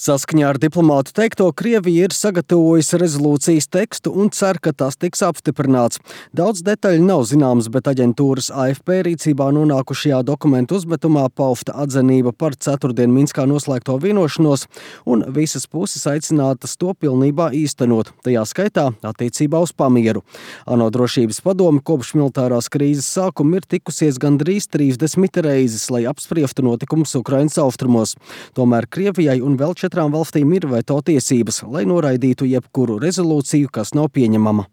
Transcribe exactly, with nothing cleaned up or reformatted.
Saskaņā ar diplomātu teikto, Krievija ir sagatavojusi rezolūcijas tekstu un cer, ka tas tiks apstiprināts. Daudz detaļu nav zināms, bet aģentūras A F P rīcībā nonākušajā dokumentu uzmetumā paufta atzinība par ceturtdien Minskā noslēgto vienošanos, un visas puses aicinātas to pilnībā īstenot, tajā skaitā attiecībā uz pamieru. ANO drošības padome kopš militārās krīzes sākuma ir tikusies gandrīz trīsdesmit reizes, lai apspriestu notikumus Ukrainas austrumos. Tomēr Krievijai un vēl četrām valstīm ir veto tiesības, lai noraidītu jebkuru rezolūciju, kas nav pieņemama.